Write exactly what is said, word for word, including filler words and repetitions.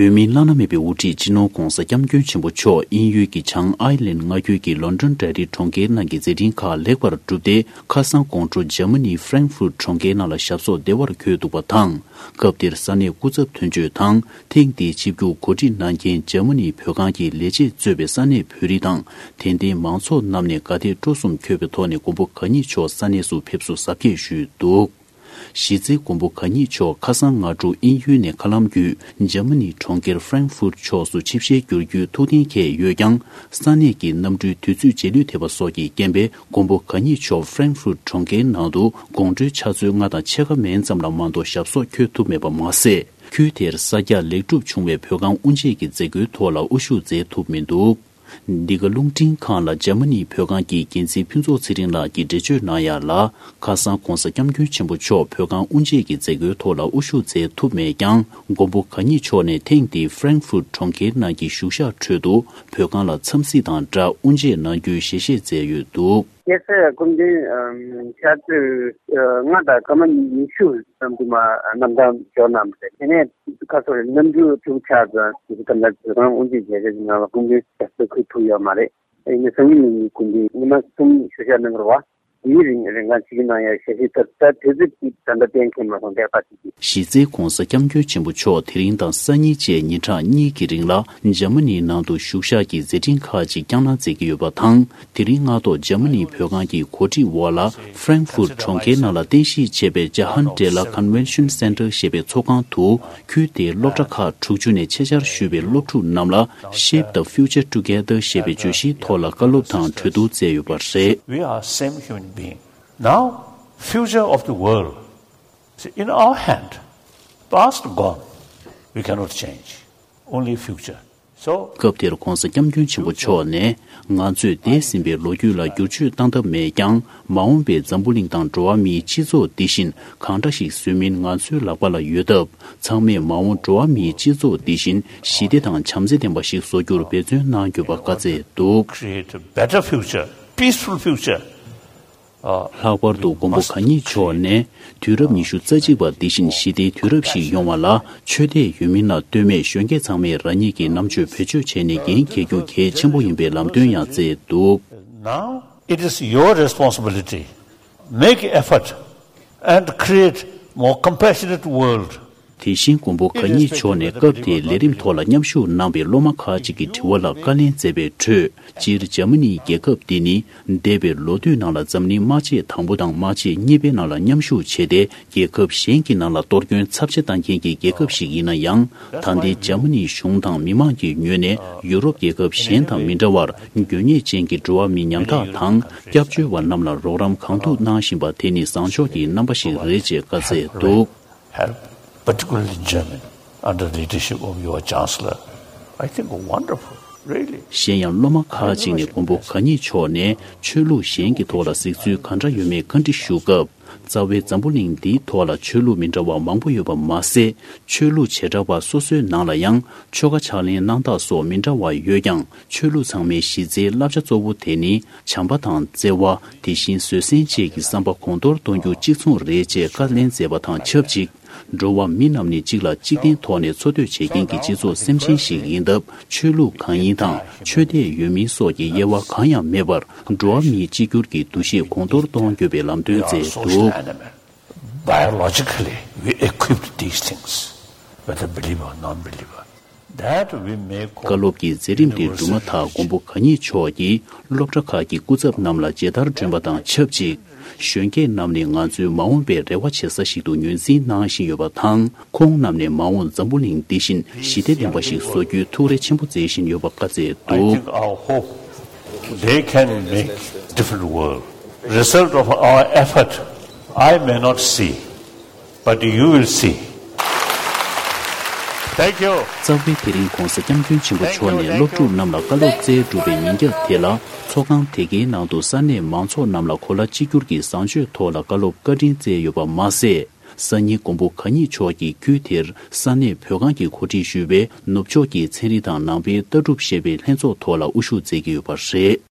བོད་མིའི་བླ་ན་མེད་པའི་དབུ་ཁྲིད་སྤྱི་ནོར་༧གོང་ས་༧སྐྱབས་མགོན་ཆེན་པོ་མཆོག་དབྱིན་ཡུལ་གྱི་བྱང་ཨའི་ལན་མངའ་ཁུལ་གྱི་ལོན་ཌོན་འབྲེལ་རིམ་གྲོང་ཁྱེར་ནང་གི་མཛད་འཕྲིན་ཁག་ལེགས་པར་གྲུབ་སྟེ། ཁ་སང་དགོང་དྲོ་འཇར་མ་ནིའི་ཧྥ་རེང་ཧྥུར་གྲོང་ཁྱེར་ནང་ལ་ཞབས་སོར་བདེ་བར་འཁོད་འདུག་པ་དང་། སྐབས་དེར་ས་གནས་སྐུ་ཚབ་དོན་གཅོད་དང་། ཐེངས་འདིའི་ཆིབས་བསྒྱུར་གོ་སྒྲིག་གནང་མཁན་འཇར་མ་ནིའི་བོད་ཁང་གི་ལས་བྱེད་གཙོས་པའི་ས་གནས་བོད་རིགས་དང་། དད་ལྡན་མང་ཚོགས་རྣམས་ནས་དགའ་དད་སྤྲོ་གསུམ་འཁོལ་བའི་ཐོག་ནས་མགོན་པོ་གང་ཉིད་མཆོག་ས་གནས་སུ་ཕེབས་བསུ་གཟབ་རྒྱས་ཞུས་འདུག། གཞི་རྩའི་མགོན་པོ་གང་ཉིད་མཆོག་ཁ་སང་སྔ་དྲོ་དབྱིན་ཡུལ་ནས་མཁའ་ལམ་བརྒྱུད་འཇར་མ་ནིའི་གྲོང་ཁྱེར་ཧྥ་རེང་ཧྥུར་ཕྱོགས་སུ་ཆིབས་ཞལ་བསྒྱུར་རྒྱུའི་ཐུགས་གཏན་འཁེལ་ཡོད་ཀྱང་། ས་གནས་ཀྱི་གནམ་གྲུའི་དུས་ཚོད་རྗེས་ལུས་ཐེབས་པ་སོགས་ཀྱི་རྐྱེན་པས། མགོན་པོ་གང་ཉིད་མཆོག་ཧྥ་རེང་ཧྥུར་གྲོང་ཁྱེར་ནང་དུ་དགོང་དྲོའི་ཕྱག་ཚོད་ལྔ་དང་ཕྱེད་ཀ་མན་ཙམ་ལ་མ་གཏོགས་ཞབས་སོར་འཁོད་ཐུབ་མེད་པ་མ་ཟད། ཁུལ་དེར་གསར་རྒྱག་ལེགས་གྲུབ་བྱུང་བའི་བོད་ཁང་དབུ་འབྱེད་ཀྱི་མཛད་སྒོའི་ཐོག་ལ་དབུ་བཞུགས་མཛད་ཐུབ་མི་འདུག། འདི་ག་རླུང་འཕྲིན་ཁང་ལ་འཇར་མ་ནིའི་བོད་ཁང་གི་འགན་འཛིན་ཕུན་ཚོགས་ཚེ་རིང་ལགས་ཀྱིས་འགྲེལ་བརྗོད་གནང་ཡ་ལ། ཁ་སང་༧གོང་ས་༧སྐྱབས་མགོན་ཆེན་པོ་མཆོག་བོད་ཁང་དབུ་འབྱེད་ཀྱི་མཛད་སྒོའི་ཐོག་ལ་དབུ་བཞུགས་མཛད་ཐུབ་མེད་ཀྱང་། མགོན་པོ་གང་ཉིད་མཆོག་ནས་ཐེངས་འདིའི་ཧྥ་རེང་ཧྥུར་གྲོང་ཁྱེར་ནང་གི་བཞུགས་ཞག་ཁྲོད་དུ་བོད་ཁང་ལ་འཚམས་གཟིགས་དང་སྦྲགས་དབུ་འབྱེད་གནང་རྒྱུའི་ཞལ་བཞེས་མཛད་ཡོད་འདུག། སྐྱེས་སའི་སྐུ་མདུན་ཕྱག་ཚོད་ལྔ་དང་སྐར་མ་ཉི་ཤུ་ཙམ་དུ་མ་གནམ་ཐང་འབྱོར་གནང་བ་རེད། དེ་ནས་ཁ་སོ་རེ་གནམ་གྲུ་དྲུག་ཆགས་ཙམ་དེ་ག་ལ་བོད་ཁང་དབུ་འབྱེད་མཛད་སྒོའི་ནང་ལ་སྐུ་མདུན་ཞབས་སོར་འཁོད་ཐུབ་ཡོད་མ་རེད། ཡིན་ནའི་སང་ཉིན་གླིང་གི་སྐུ་མདུན་ཉི་མ་གསུམ་བཞུགས་ཞག་གནང་གི་རེད་བ། དེའི་རིང་རིང་གང་ཅིག་གནང་ཡ་ཞལ་བཞེས་ཐོབ། ད་དུས་ཚོད་ཅིག་ད་ལྟ་གཏན་འཁེལ་མ་སོང་། ལྟས་པ་ཅིག་གིས། གཞི་རྩའི་༧གོང་ས་༧སྐྱབས་མགོན་ཆེན་པོ་མཆོག་དེ་རིང་དང་སང་ཉིན་བཅས་ཉིན་གྲངས་གཉིས་ཀྱི་རིང་ལ་འཇར་མ་ནིའི་ནང་དུ་བཞུགས་ཞག་གི་མཛད་འཕྲིན་ཁག་ཅིག་བསྐྱངས་གནང་མཛད་ཀྱི་ཡོད་པ་དང་། དེ་རིང་སྔ་ཐོག་འཇར་མ་ནིའི་བོད་ཁང་གི་གོ་སྒྲིག་འོག་ལ་ཧྥ་རེང་ཧྥུར་གྲོང་ཁྱེར་ནང་ལ་རྟེན་གཞི་བྱས་པའི་ཇ་ཧན་ཏེ་ལ་Convention Center ཞེས་པའི་ཚོགས་ཁང་དུ། ཁུལ་དེའི་སློབ་གྲྭ་ཁག་དྲུག་ཅུ་ནས་ཆེད་བཅར་ཞུས་པའི་སློབ་ཕྲུག་རྣམས་ལ་Shape the Future Together ཞེས་པའི་བརྗོད་གཞིའི་ཐོག་ལ་བཀའ་སློབ་དང་གྲོས་བསྡུར་བསྩལ་ཡོད་པ་རེད། We are same human being. Now, future of the world is in our hand. Past gone, we cannot change. Only future. So, སྐབས་དེར་༧གོང་ས་༧སྐྱབས་མགོན་ཆེན་པོ་མཆོག་ནས། ང་ཚོས་འདས་ཟིན་པའི་ལོ་རྒྱུས་ལ་བསྒྱུར་བཅོས་བཏང་ཐབས་མེད་ཀྱང་། མ་འོངས་པའི་འཛམ་བུ་གླིང་དང་འགྲོ་བ་མིའི་སྤྱི་ཚོགས་འདི་བཞིན་གང་འདྲ་ཞིག་བཟོས་མིན་ང་ཚོའི་ལག་པ་ལ་ཡོད་སྟབས། ཚང་མས་མ་འོངས་འགྲོ་བ་མིའི་སྤྱི་ཚོགས་འདི་བཞིན་ཞི་བདེ་དང་བྱམས་བརྩེ་ལྡན་པ་ཞིག་བཟོ་རྒྱུར་འབད་བརྩོན་གནང་དགོས་པ་བཀའ་སྩལ་འདུག། Create a better future, peaceful future. ལྷག་པར་དུ་མགོན་པོ་གང་ཉིད་མཆོག་ནས། དུས་རབས་ཉི་ཤུ་རྩ་གཅིག་པ་འདི་བཞིན་ཞི་བདེའི་དུས་རབས་ཤིག་ཡོང་བ་ལ་ཆོས་དད་ཡོད་མིན་ལ་ལྟོས་མེད་གཞོན་སྐྱེས་ཚང་མས་རང་ཉིད་ཀྱི་རྣམ་དཔྱོད་བེད་སྤྱོད་བྱས་ནས་འགན་འཁྱེར་རྒྱུ་གལ་ཆེན་པོ་ཡིན་པའི་ལམ་སྟོན་ཡང་བསྩལ་འདུག། Now it is your responsibility. Make effort and create more compassionate world. དེ་བཞིན་མགོན་པོ་གང་ཉིད་མཆོག་ནས་སྐབས་དེའི་ལས་རིམ་ཐོག་ལ་མཉམ་ཞུགས་གནང་པའི་སློབ་མ་ཁག་ཅིག་གི་དྲི་བ་ལ་བཀའ་ལན་སྩལ་བའི་ཁྲོད། སྤྱིར་འཇར་མ་ནིའི་རྒྱལ་ཁབ་འདི་ནི་འདས་པའི་ལོ་དུས་ནང་ལ་འཛམ་གླིང་དམག་ཆེན་དང་པོ་དང་དམག་ཆེན་གཉིས་པའི་ནང་ལ་མཉམ་ཞུགས་བྱས་ཏེ། རྒྱལ་ཁབ་གཞན་གྱི་ནང་ལ་གཏོར་སྐྱོན་ཚབས་ཆེ་བཏང་མཁན་གྱི་རྒྱལ་ཁབ་ཞིག་ཡིན་ན་ཡང་། ད་ལྟའི་འཇར་མ་ནིའི་གཞུང་དང་མི་མང་གི་ངོས་ནས་ཡུ་རོབ་རྒྱལ་ཁབ་གཞན་དང་མི་འདྲ་བར། དགོས་ངེས་ཅན་གྱི་འགྲོ་བ་མི་ཉམ་ཐག་དང་། སྐྱབས་བཅོལ་བ་རྣམས་ལ་རོགས་རམ་གང་ཐུབ་གནང་བཞིན་པ་དེ་ནི་བཟང་ཕྱོགས་ཀྱི་རྣམ་པ་ཞིག་རེད་ཅེས་བཀའ་སྩལ་འདུག། Help, particularly German, under the leadership of your Chancellor. I think wonderful, really. གཞན་ཡང་སློབ་མ་ཁག་ཅིག་ནས་མགོན་པོ་གང་ཉིད་མཆོག་ནས་ཆོས་ལུགས་གཞན་གྱི་ཐོག་ལ་གཟིགས་ཚུལ་ག་འདྲ་ཡོད་མེད་བཀའ་འདྲི་ཞུ་སྐབས། རྩ་བའི་འཛམ་བུ་གླིང་འདིའི་ཐོག་ལ་ཆོས་ལུགས་མི་འདྲ་བ་མང་པོ་ཡོད་པ་མ་ཟད། ཆོས་ལུགས་བྱེ་བྲག་པ་སོ་སོའི་ནང་ལ་ཡང་ཆོ་ག་ཕྱག་ལེན་གནང་སྟངས་སོགས་མི་འདྲ་བ་ཡོད་ཀྱང་། ཆོས་ལུགས་ཚང་མའི་གཞི་རྩའི་བསླབ་བྱ་གཙོ་བོ་དེ་ནི་བྱམས་པ་དང་བརྩེ་བ། དེ་བཞིན་བཟོད་བསྲན་བཅས་ཀྱི་བསམ་པ་གོང་མཐོར་གཏོང་རྒྱུ་གཅིག་མཚུངས་རེད་ཅེས་བཀའ་ལན་སྩལ་བ་དང་ཆབས་ཅིག། འགྲོ་བ་མི་རྣམས་ནི་གཅིག་ལ་གཅིག་བརྟེན་ཐོག་ནས་འཚོ་སྡོད་བྱེད་མཁན་གྱི་སྤྱི་ཚོགས་སེམས་ཅན་ཞིག་ཡིན་སྟབས། ཆོས་ལུགས་གང་ཡིན་དང་ཆོས་དད་ཡོད་མིན་སོགས་ཀྱི་དབྱེ་བ་གང་ཡང་མེད་པར། འགྲོ་བ་མིའི་གཅིག་གྱུར་གྱི་འདུ་ཤེས་གོང་མཐོར་གཏོང་དགོས་པའི་ལམ་སྟོན་མཛད་འདུག། Biologically, we equipped these things, whether believer or non-believer. That we may call universal religion. བཀའ་སློབ་ཀྱི་མཛད་རིམ་དེ་གྲུབ་མ་ཐག་མགོན་པོ་གང་ཉིད་མཆོག་གིས་སློབ་གྲྭ་ཁག་གི་སྐུ་ཚབ་རྣམས་ལ་མཇལ་དར་སྒྲོན་པ་དང་ཆབས་ཅིག། གཞོན་སྐྱེས་རྣམས་ནི་ང་ཚོའི་མ་འོངས་པའི་རེ་བ་བྱེད་ས་ཞིག་ཏུ་ངོས་འཛིན་གནང་བཞིན་ཡོད་པ་དང་། ཁོང་རྣམས་ནས་མ་འོངས་འཛམ་བུ་གླིང་འདི་བཞིན་ཞི་བདེ་ལྡན་པ་ཞིག་བཟོ་རྒྱུའི་ཐུགས་རེ་ཆེན་པོ་མཛད་བཞིན་ཡོད་པ་བཀའ་སྩལ་འདུག། I think our hope, they can make different world. Result of our effort, I may not see, but you will see. Thank you. རྩ་བའི་དེ་རིང་༧གོང་ས་༧སྐྱབས་མགོན་ཆེན་པོ་མཆོག་ནས་སློབ་ཕྲུག་རྣམས་ལ་བཀའ་སློབ་སྩལ་གྲུབ་པའི་ཉིན་རྒྱབ་དེ་ལ། ཚོགས་ཁང་དེ་གའི་ནང་དུ་ས་གནས་མང་ཚོགས་རྣམས་ལ་གོ་ལ་གཅིག་གྱུར་གྱི་བཟང་སྤྱོད་ཐོག་ལ་བཀའ་སློབ་བཀའ་དྲིན་སྩལ་ཡོད་པ་མ་ཟད། སང་ཉིན་མགོན་པོ་གང་ཉིད་མཆོག་གིས་ཁུལ་དེར་ས་གནས་བོད་ཁང་གིས་གོ་སྒྲིག་ཞུས་པའི་ནུབ་ཕྱོགས་ཀྱི་ཚན་རིག་དང་ནང་པའི་ལྟ་གྲུབ་ཞེས་པའི་ལྷན་ཚོགས་ཐོག་ལ་དབུ་བཞུགས་མཛད་ཀྱི་ཡོད་པ་རེད།